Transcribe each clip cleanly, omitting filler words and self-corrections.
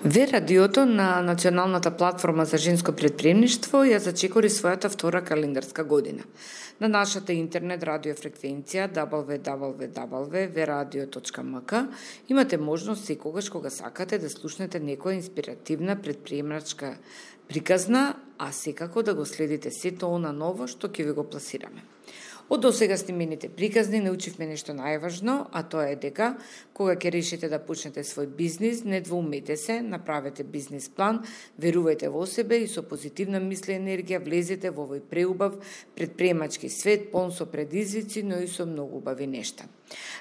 Ве радиото на Националната платформа за женско претприемништво ја зачекори својата втора календарска година. На нашата интернет радиофреквенција www.veradio.mk имате можност секогаш кога сакате да слушнете некоја инспиративна претприемачка приказна, а секако да го следите сето она ново што ќе ви го пласираме. Од досега снимените приказни научивме нешто најважно, а тоа е дека кога ќе решите да почнете свој бизнис, не двоумете се, направете бизнис план, верувајте во себе и со позитивна мисла и енергија влезете во овој преубав претприемачки свет, полн со предизвици, но и со многу убави нешта.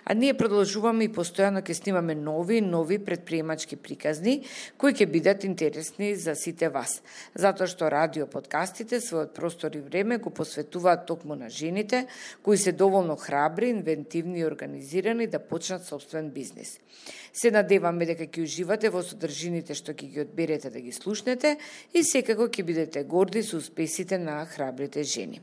А ние продолжуваме и постојано ќе снимаме нови претприемачки приказни кои ќе бидат интересни за сите вас, затоа што радио подкастите својот простор и време го посветуваат токму на жените кои се доволно храбри, инвентивни и организирани да почнат собствен бизнис. Се надеваме дека ќе уживате во содржините што ќе ги одберете да ги слушнете и секако ќе бидете горди со успесите на храбрите жени.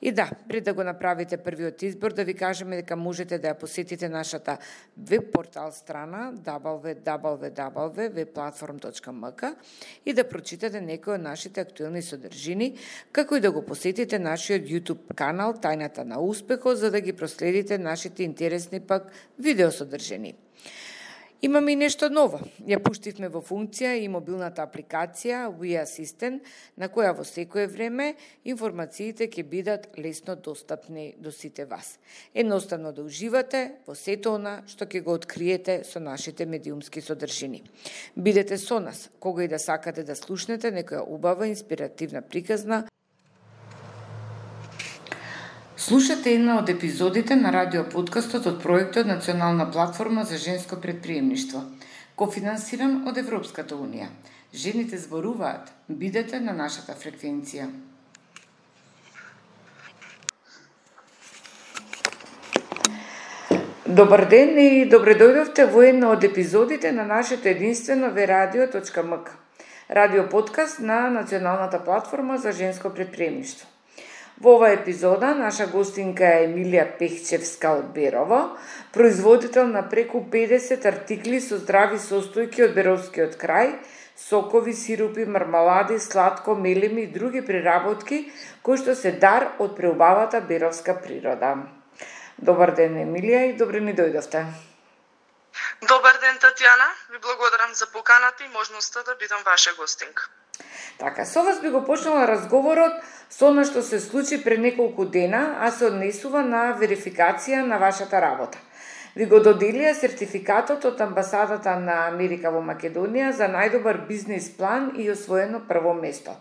И да, пред да го направите првиот избор, да ви кажеме дека можете да ја посетите нашата веб портал страна www.vplatform.mk и да прочитате некои од нашите актуелни содржини, како и да го посетите нашиот YouTube канал Тајната на успехот, за да ги проследите нашите интересни пак видеосодржини. Имаме и нешто ново. Ја пуштивме во функција и мобилната апликација We Assistant, на која во секое време информациите ќе бидат лесно достапни до сите вас. Едноставно да уживате во сето она што ќе го откриете со нашите медиумски содржини. Бидете со нас, кога и да сакате да слушнете некоја убава инспиративна приказна. Слушате една од епизодите на радиоподкастот од проектот Национална платформа за женско претприемништво, кофинансиран од Европската унија. Жените зборуваат, бидете на нашата фреквенција. Добар ден и добре дојдовте во една од епизодите на нашето единствено veradio.mk, радиоподкаст на Националната платформа за женско претприемништво. Во оваа епизода наша гостинка е Емилија Пехчевска од Берово, производител на преку 50 артикли со здрави состојки од беровскиот крај, сокови, сирупи, мармалади, сладко, мелеми и други преработки кои што се дар од преубавата беровска природа. Добар ден, Емилија, и добре ни дојдовте. Добар ден, Татјана. Ви благодарам за поканата и можноста да бидам ваша гостинка. Така, со вас би го почнала разговорот со она што се случи пред неколку дена, а се однесува на верификација на вашата работа. Ви го доделија сертификатот од Амбасадата на Америка во Македонија за најдобар бизнис план и освоено прво место.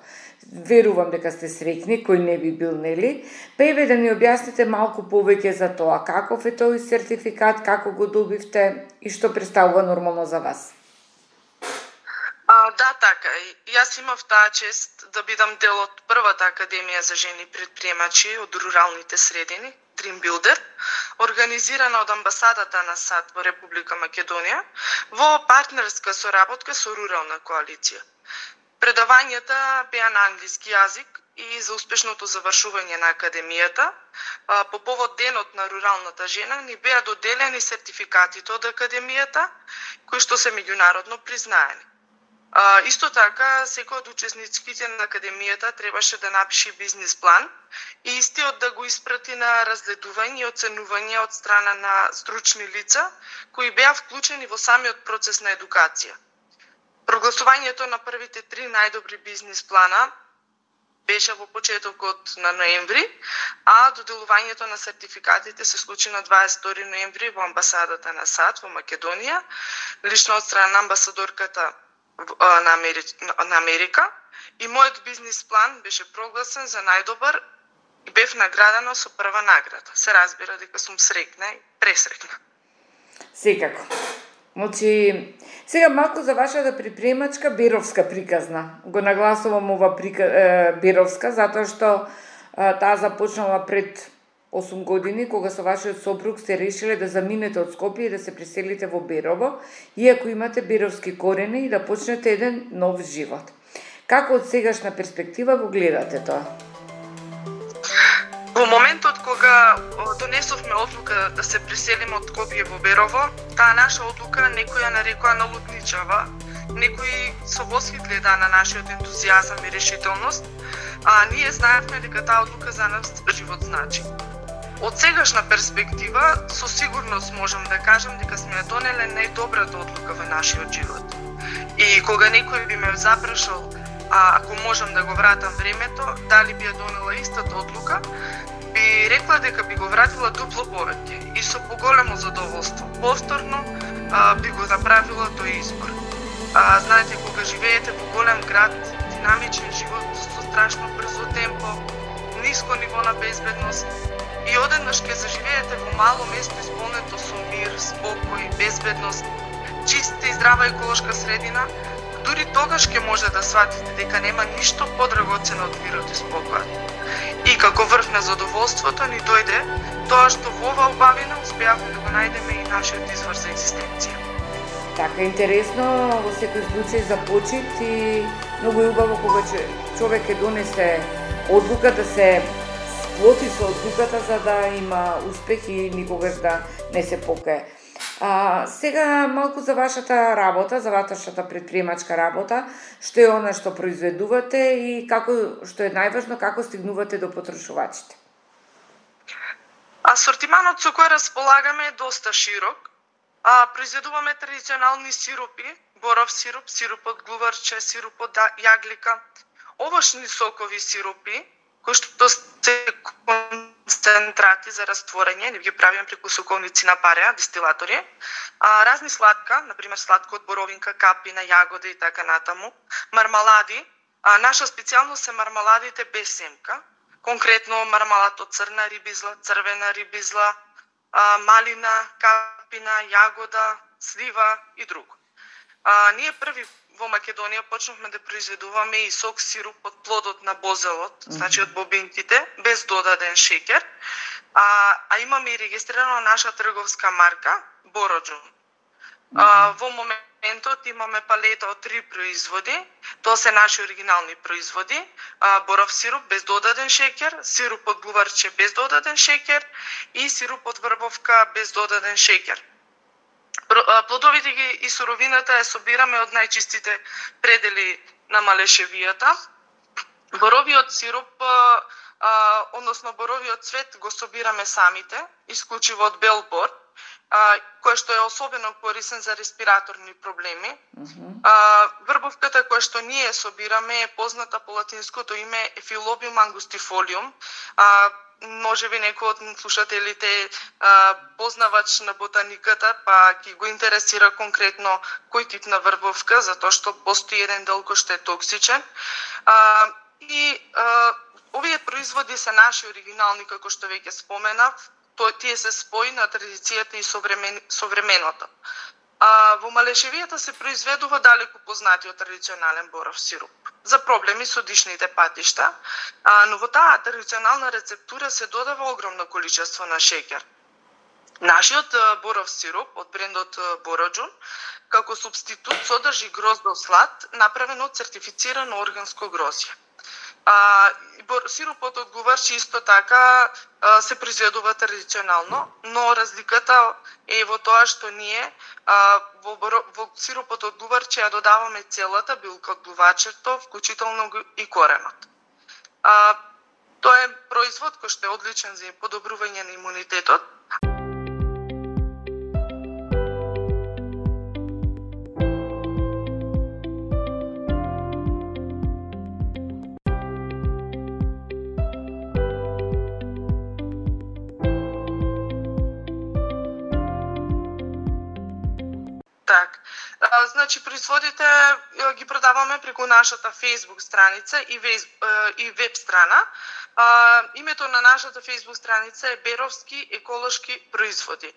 Верувам дека сте среќни, кој не би бил, нели? Па еве да ни објасните малку повеќе за тоа, каков е тој сертификат, како го добивте и што представува нормално за вас. Да, така. Јас имав таа чест да бидам дел од првата академија за жени предприемачи од руралните средини, Dream Builder, организирана од Амбасадата на САД во Република Македонија, во партнерска соработка со Рурална коалиција. Предавањата беа на англиски јазик и за успешното завршување на академијата, по повод денот на руралната жена, ни беа доделени сертификатите од академијата, кои што се меѓународно признаени. Исто така, секој од учесниците на академијата требаше да напише бизнис план и истиот да го испрати на разгледување и оценување од страна на стручни лица, кои беа вклучени во самиот процес на едукација. Прогласувањето на првите 3 најдобри бизнис плана беше во почетокот на ноември, а доделувањето на сертификатите се случи на 22 ноември во Амбасадата на САД во Македонија, лично од страна на амбасадорката на Америка, и мојот бизнис план беше прогласен за најдобар и бев наградена со прва награда. Се разбира дека сум среќна и пресреќна. Секако. Значи, сега малку за вашата предприемачка беровска приказна. Го нагласувам ова беровска, затоа што таа започнала пред 8 години, кога со вашиот сопруг сте решиле да заминете од Скопје и да се преселите во Берово, иако имате беровски корени и да почнете еден нов живот. Како од сегашна перспектива го гледате тоа? Во моментот кога донесовме одлука да се преселиме од Скопје во Берово, таа наша одлука некој ја нарекоа налудничава, некои со восхит гледа на нашиот ентузијазам и решителност, а ние знаевме дека таа одлука за нас живот значи. Од сегашна перспектива, со сигурност можам да кажам дека сме донеле најдобрата одлука во нашиот живот. И кога некој би ме запрашал, ако можам да го вратам времето, дали би ја донела истата одлука, би рекла дека би го вратила дупло повеќе и со поголемо задоволство. Повторно би го направила тој избор. Знаете, кога живеете во голем град, динамичен живот со страшно брзо темпо, ниско ниво на безбедност, и одеднаш ќе заживеете во мало место исполнето со мир, спокој, безбедност, чиста и здрава еколошка средина, дури тогаш ќе може да сватите дека нема ништо подрагоцено од мирот и спокојот. И како врв на задоволството ни дојде тоа што во оваа убавина успеавме да го најдеме и нашиот извор за екзистенција. Така интересно во секој случај за почит и многу е убаво кога човек ќе донесе одлука да се сплоти со одлуката за да има успех и никогаш да не се покае. Сега малку за вашата работа, за вашата предприемачка работа, што е она што произведувате и што е најважно, како стигнувате до потрошувачите? Асортиманот со кој располагаме е доста широк. Произведуваме традиционални сиропи, боров сироп, сироп од глуварче, сироп од јаглика, овошни сокови сиропи, кои што се концентрати за растворење, не ги правиме преку соковници на пареа, дистилатори, разни сладка, например сладко од боровинка, капина, јагода и така натаму, мармалади, наша специјалност се мармаладите без семка, конкретно мармалад од црна рибизла, црвена рибизла, малина, капина, јагода, слива и друго. Ние први во Македонија почнавме да произведуваме и сок сироп од плодот на бозелот, значи од бобинките, без додаден шеќер. А имаме и регистрирана наша трговска марка Бороџун. Во моментот имаме палета од 3 производи. Тоа се наши оригинални производи. Боров сироп без додаден шеќер, сироп од глуварче без додаден шеќер и сироп од врбовка без додаден шеќер. Плодовите и суровината ја собираме од најчистите предели на Малешевијата. Боровиот сироп, односно боровиот цвет го собираме самите, исклучиво од бел бор, кој што е особено корисен за респираторни проблеми. Врбовката која што ние собираме е позната по латинското име Ефилобиум ангустифолиум. Може би некој од слушателите познавач на ботаниката, па ќе го интересира конкретно кој тип на врбовка, затоа што постои еден дел кој што е токсичен. Овие производи се наши оригинални, како што веќе споменав, тие се спои на традицијата и современото. Во Малешевијата се произведува далеку познатиот традиционален боров сироп за проблеми со дишните патишта, но во таа традиционална рецептура се додава огромно количество на шеќер. Нашиот боров сироп од брендот Бороџун како супститут содржи гроздов слад направен од сертифицирано органско грозје. Сиропот од глуварче исто така се произведува традиционално, но разликата е во тоа што ние во сиропот од глуварче ја додаваме целата билка од глувачето, вклучително и коренот. Тоа е производ кој што е одличен за подобрување на имунитетот. Значи, производите ги продаваме преку нашата Facebook страница и веб страна. Името на нашата Facebook страница е Беровски еколошки производи.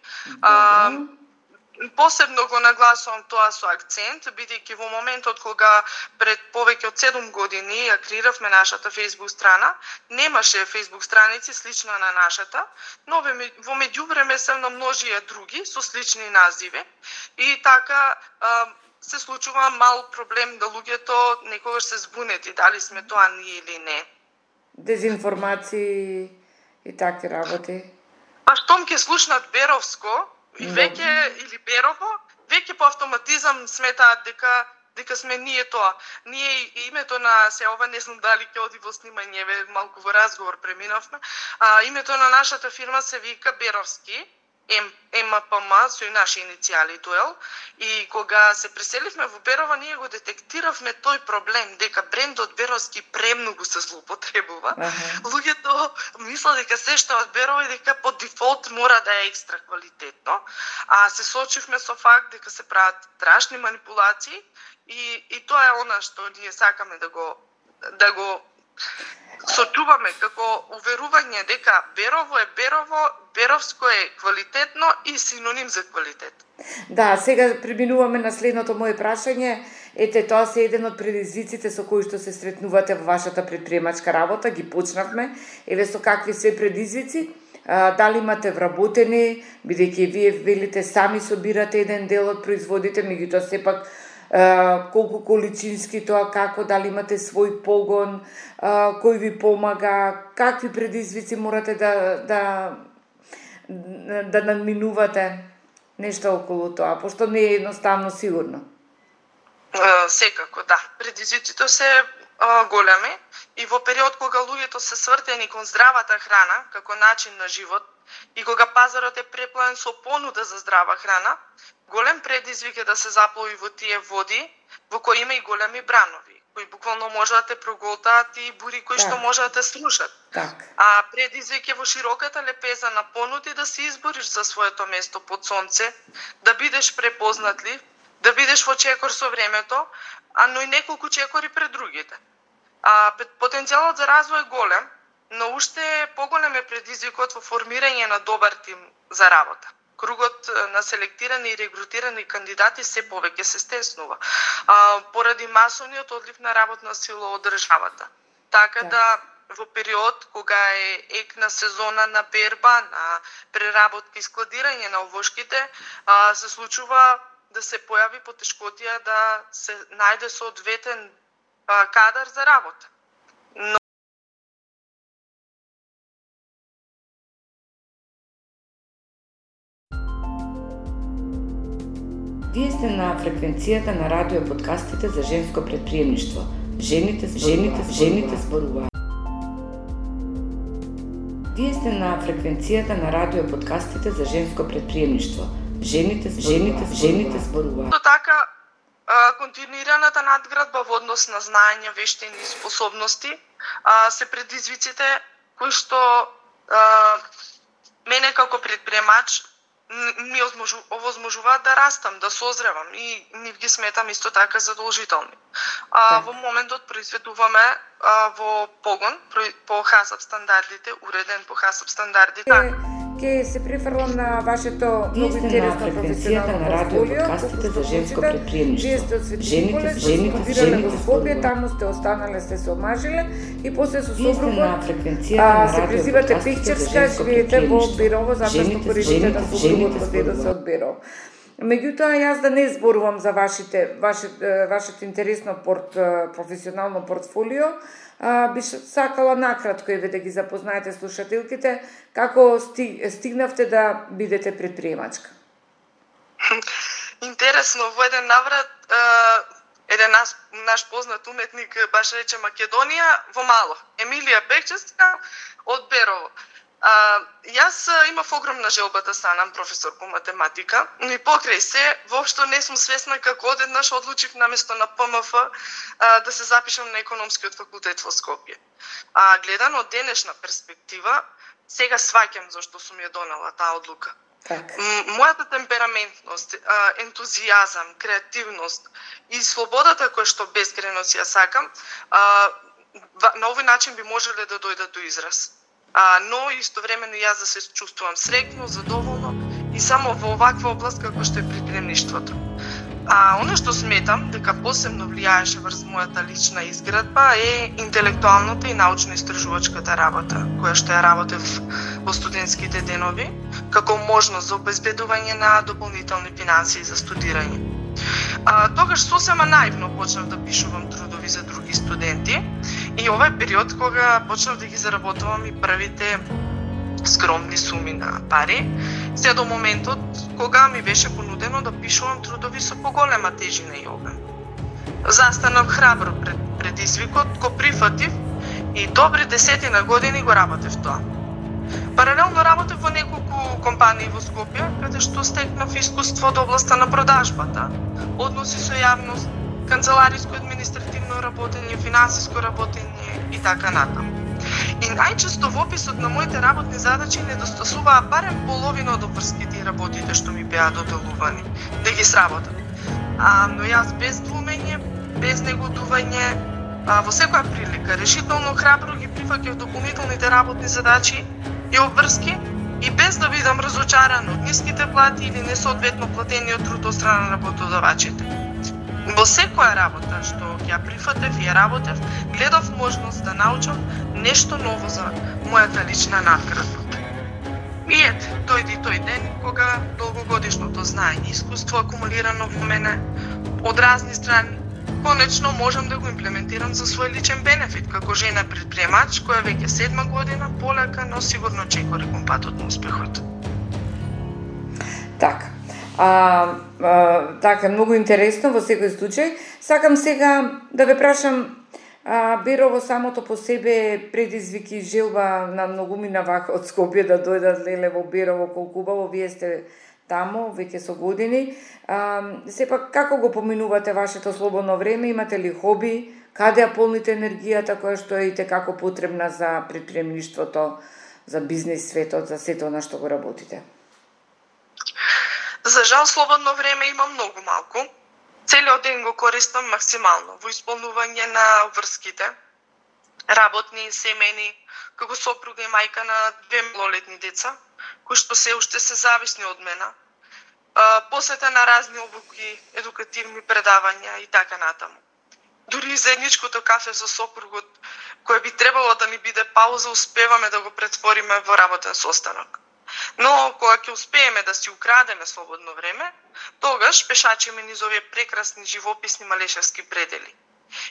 Посебно го нагласувам тоа со акцент, бидејќи во моментот кога пред повеќе од 7 години ја креиравме нашата Facebook страна, немаше Facebook страници слична на нашата, но во меѓувреме се намножија други со слични називи и така се случува мал проблем да луѓето некогаш се збунети дали сме тоа ние или не. Дезинформации и такви работи. Штом ќе слушнат Беровско и веќе или Берово, веќе по автоматизам сметаат дека дека сме ние тоа. Ние името на се ова не знам дали ќе оди во снимање, малку во разговор преминавме. Името на нашата фирма се вика Беровски. МПМ со и наши иницијали Дуел, и кога се преселивме во Берово, ние го детектиравме тој проблем, дека брендот Беровски премногу се злоупотребува. Луѓето мислат дека се што од Берово и дека по дефолт мора да е екстра квалитетно, а се соочивме со факт дека се прават страшни манипулации и тоа е она што ние сакаме да го сочуваме како уверување дека Берово е Берово, Беровско е квалитетно и синоним за квалитет. Да, сега преминуваме на следното моје прашање. Ете, тоа се еден од предизвиците со кои што се сретнувате во вашата предприемачка работа, ги почнавме. Еве со какви се предизвици? Дали имате вработени, бидејќи вие велите сами собирате еден дел од производите, меѓутоа сепак колку количински тоа, како, дали имате свој погон, кој ви помага, какви предизвици морате да надминувате, нешто околу тоа, пошто не е едноставно сигурно. Секако, да. Предизвиците се големи и во период кога луѓето се свртени кон здравата храна како начин на живот и кога пазарот е преплен со понуда за здрава храна, голем предизвик е да се заплови во тие води во кои има и големи бранови, кои буквално можат да те проголтаат и бури кои што можат да те срушат. А предизвик е во широката лепеза на понуди да се избориш за своето место под сонце, да бидеш препознатлив, да бидеш во чекор со времето, но и неколку чекори пред другите. Потенцијалот за развој е голем, но уште поголем е предизвикот во формирање на добар тим за работа. Кругот на селектирани и регрутирани кандидати се повеќе се стеснува, поради масовниот одлив на работна сила од државата. Така да во период кога е екна сезона на берба, на преработка и складирање на овошките, се случува да се појави потешкотија да се најде соодветен кадар за работа. Но Вие сте на фреквенцијата на радио подкастите за женско предприемништво. Жените зборуваат. Вие сте на фреквенцијата на радио подкастите за женско предприемништво. Жените зборуваат. Така, континуираната надградба во однос на знаење, вештини и способности се предизвиците кои што мене како предприемач ми овозможуваат да растам, да созревам и нив ги сметам исто така задолжителни. Во моментот произведуваме во погон по ХАСАП стандардите, уреден по ХАСАП стандардите. Ке се префрлам на вашето многу интересно професионално портфолио, подкастите за женско предприемништво. Вие сте осветителец, студирале во Скопје, таму сте останале, сте се омажиле и после со сопругот се презивате Пехчевска, живеете во Берово, затоа што поречите на сопругот од деда се од Берово. Меѓутоа, јас да не зборувам за вашето интересно професионално портфолио, би сакала накратко еве да ги запознаете слушателките како стигнавте да бидете предприемачка. Интересно, во еден наврат еден наш познат уметник баш рече Македонија во мало. Емилија Пехчевска од Берово. Јас имав огромна желба да станам професор по математика, но и покрај се, воопшто не сум свесна како одеднаш одлучив наместо на ПМФ да се запишам на економскиот факултет во Скопје. Гледано од денешна перспектива, сега сваќам зашто сум ја донела таа одлука. Мојата темпераментност, ентузијазам, креативност и слободата која што бескрајно си ја сакам, на овој начин би можеле да дојдат до израз. Но истовремено јас да се чувствувам среќно, задоволно и само во оваква област како што е предприемништвото. Оно што сметам дека посебно влијаеше врз мојата лична изградба е интелектуалната и научно-истражувачката работа, која што ја работев во студентските денови, како можност за обезбедување на дополнителни финансии за студирање. Тогаш сосема наивно почнав да пишувам трудови за други студенти и ова е период кога почнав да ги заработувам и првите скромни суми на пари, се до моментот кога ми беше понудено да пишувам трудови со поголема тежина и обем. Застанав храбро пред предизвикот, го прифатив и добри 10 години го работев тоа. Паралелно работев во неколку компании во Скопје, каде што стекнав искуство од областа на продажбата, односи со јавност, канцелариско административно работење, финансиско работење и така натаму. И најчесто во описот на моите работни задачи недостасуваа барем половина од обврските и работите што ми беа доделувани да ги сработам. Но јас без двумење, без негодување, во секоја прилика решително храбро ги прифаќав дополнителните работни задачи и обврски и без да бидам разочаран од ниските плати или несоодветно платениот труд од страна на работодавачите. Во секоја работа што ја прифатев и ја работев, гледав можност да научам нешто ново за мојата лична надградба. И ете, дојде тој ден кога долгогодишното знаење и искуство акумулирано во мене од разни страни, конечно можам да го имплементирам за свој личен бенефит како жена предприемач која веќе 7 година полека, но сигурно чекори кон патот на успехот. Така. Така, многу интересно во секој случај. Сакам сега да ве прашам, Берово самото по себе предизвик и желба на многумина вака од Скопје да дојдат леле во Берово, колку убаво вие сте таму веќе со години. Сепак како го поминувате вашето слободно време? Имате ли хоби? Каде ја полните енергијата која што е и како потребна за предприемништвото, за бизнис светот, за сето на што го работите? За жал, слободно време има многу малку. Целиот ден го користам максимално во исполнување на врските, работни, семени, како сопруга и мајка на 2 малолетни деца, кои што се уште се зависни од мене, посета на разни обуки, едукативни предавања и така натаму. Дури заедничкото кафе со сопругот, кое би требало да ни биде пауза, успеваме да го претвориме во работен состанок. Но кога ќе успееме да си украдеме слободно време, тогаш пешачиме низ овие прекрасни живописни малешевски предели.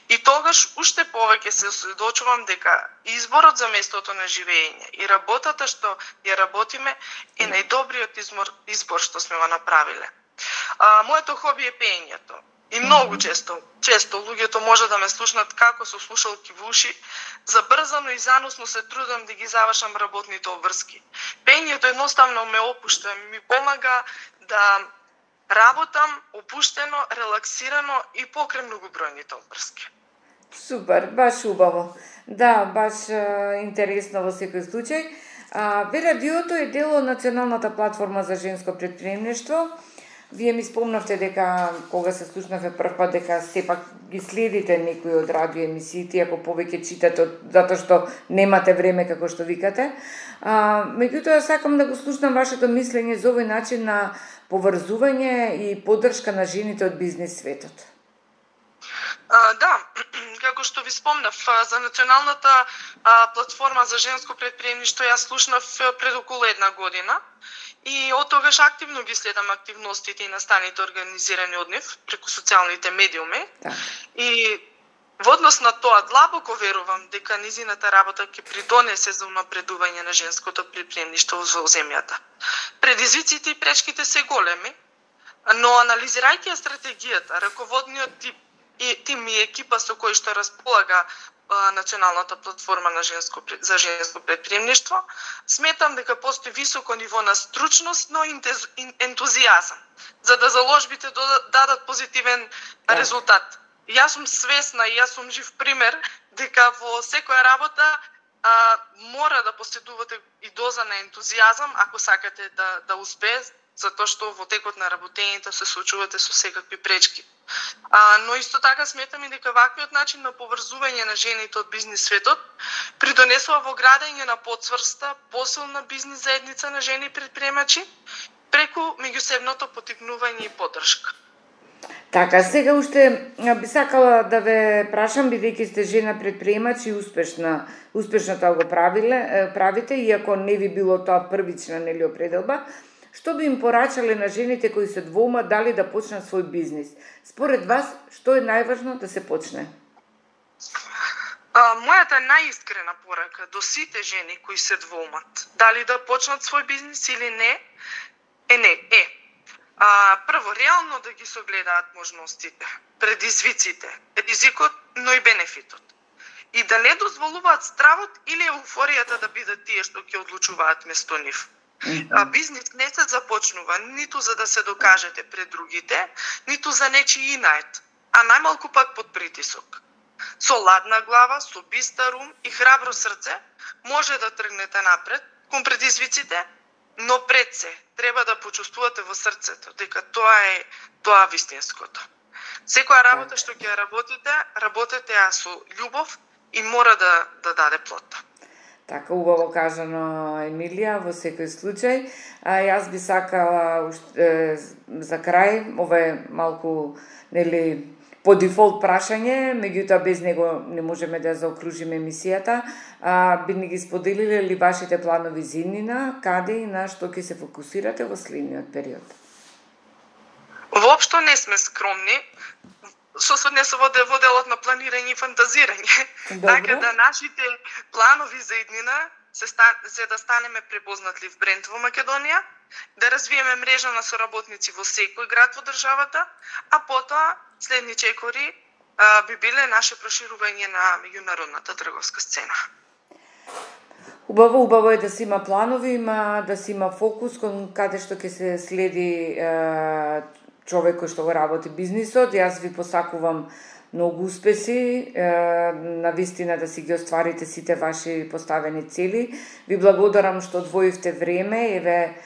И тогаш уште повеќе се осредочувам дека изборот за местото на живење и работата што ја работиме е најдобриот избор што сме го направиле. Моето хоби е пеењето. И многу често луѓето може да ме слушнат како со слушалки во уши, забрзано и заносно се трудам да ги завршам работните обврски. Пеењето едноставно ме опушта, ми помага да работам опуштено, релаксирано и покрај многобројните обврски. Супер, баш убаво. Да, баш интересно во секој случај. Радиото е дел од Националната платформа за женско предприемништво. Вие ми спомнавте дека кога се слушнавме првпат дека сепак ги следите некои од радио емисиите, ако повеќе читате затоа што немате време како што викате. Меѓутоа сакам да го слушнам вашето мислење за овој начин на поврзување и поддршка на жените од бизнис светот. Да, како што ви спомнав, за Националната платформа за женско предприемништво ја слушнав пред околу 1 година. И од тогаш активно ги следам активностите и настаните организирани од нив преку социјалните медиуми. Да. И во однос на тоа длабоко верувам дека низината работа ќе придонесе за унапредување на женското предприемништво во земјата. Предизвиците и пречките се големи, но анализирајќи ја стратегијата, раководниот тим и екипа со кој што располага Националната платформа за женско предприемништво, сметам дека постои високо ниво на стручност, но ентузијазам, за да заложбите дадат позитивен резултат. Јас сум свесна и јас сум жив пример дека во секоја работа мора да поседувате и доза на ентузијазам ако сакате да успее, затоа што во текот на работењето се соочувате со секакви пречки. Но исто така сметам и дека ваквиот начин на поврзување на жените од бизнис светот придонесува во градење на потврста, посилна бизнис заедница на жени предприемачи преку меѓусебното поттикнување и поддршка. Така, сега уште би сакала да ве прашам, бидејќи сте жена предприемач и успешно тоа го правите, иако не ви било тоа првична определба, што би им порачале на жените кои се двоумат дали да почнат свој бизнис? Според вас, што е најважно да се почне? Мојата најискрена порака до сите жени кои се двоумат дали да почнат свој бизнис или не, Прво, реално да ги согледаат можностите, предизвиците, ризикот, но и бенефитот. И да не дозволуваат стравот или еуфоријата да бидат тие што ќе одлучуваат место нив. Бизнис не се започнува ниту за да се докажете пред другите, ниту за нечи инает, а најмалку пак под притисок. Со ладна глава, со бистар ум и храбро срце може да тргнете напред кон предизвиците, но пред се треба да почувствувате во срцето дека тоа вистинското. Секоја работа што ќе работете ја со љубов и мора да даде плод. Така, убаво кажано, Емилија, во секој случај. Јас би сакала за крај, ова е малку, по дефолт прашање, меѓутоа без него не можеме да заокружиме емисијата. Би ни ги споделиле ли вашите планови за иднина, каде и на што ќе се фокусирате во следниот период? Воопшто не сме скромни, со во делот на планирање и фантазирање. Така да нашите планови за иднина се да станеме препознатли бренд во Македонија, да развиеме мрежа на соработници во секој град во државата, а потоа следни чекори би биле наше проширување на меѓународната трговска сцена. Убаво е да се има планови, да се има фокус кон каде што ќе се следи човек кој што го работи бизнисот. Јас ви посакувам многу успеси, на вистина да си ги остварите сите ваши поставени цели. Ви благодарам што одвоивте време,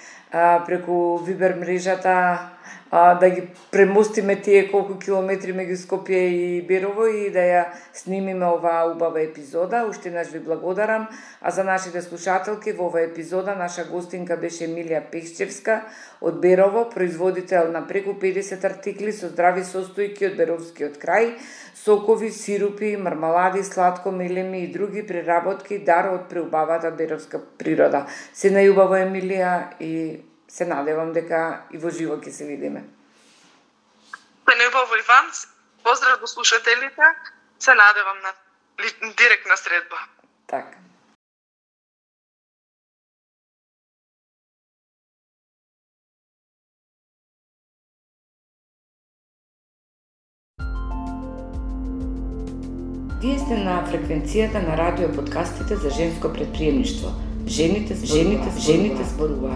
преку Вибер мрежата да ги премостиме тие колку километри меѓу Скопје и Берово и да ја снимиме оваа убава епизода. Уште еднаш ви благодарам. А за нашите слушателки, во оваа епизода наша гостинка беше Емилија Пешчевска од Берово, производител на преку 50 артикли со здрави состојки од Беровскиот крај, сокови, сирупи, мармалади, сладко, мелеми и други преработки, дар од преубавата беровска природа. Се најубаво, Емилија, и се надевам дека и во живо ќе се видиме. Се најубаво и вам. Поздрав до слушателите. Се надевам на директна средба. Така. Вие сте на фреквенцијата на радио подкастите за женско предприемништво. Жените зборуваат.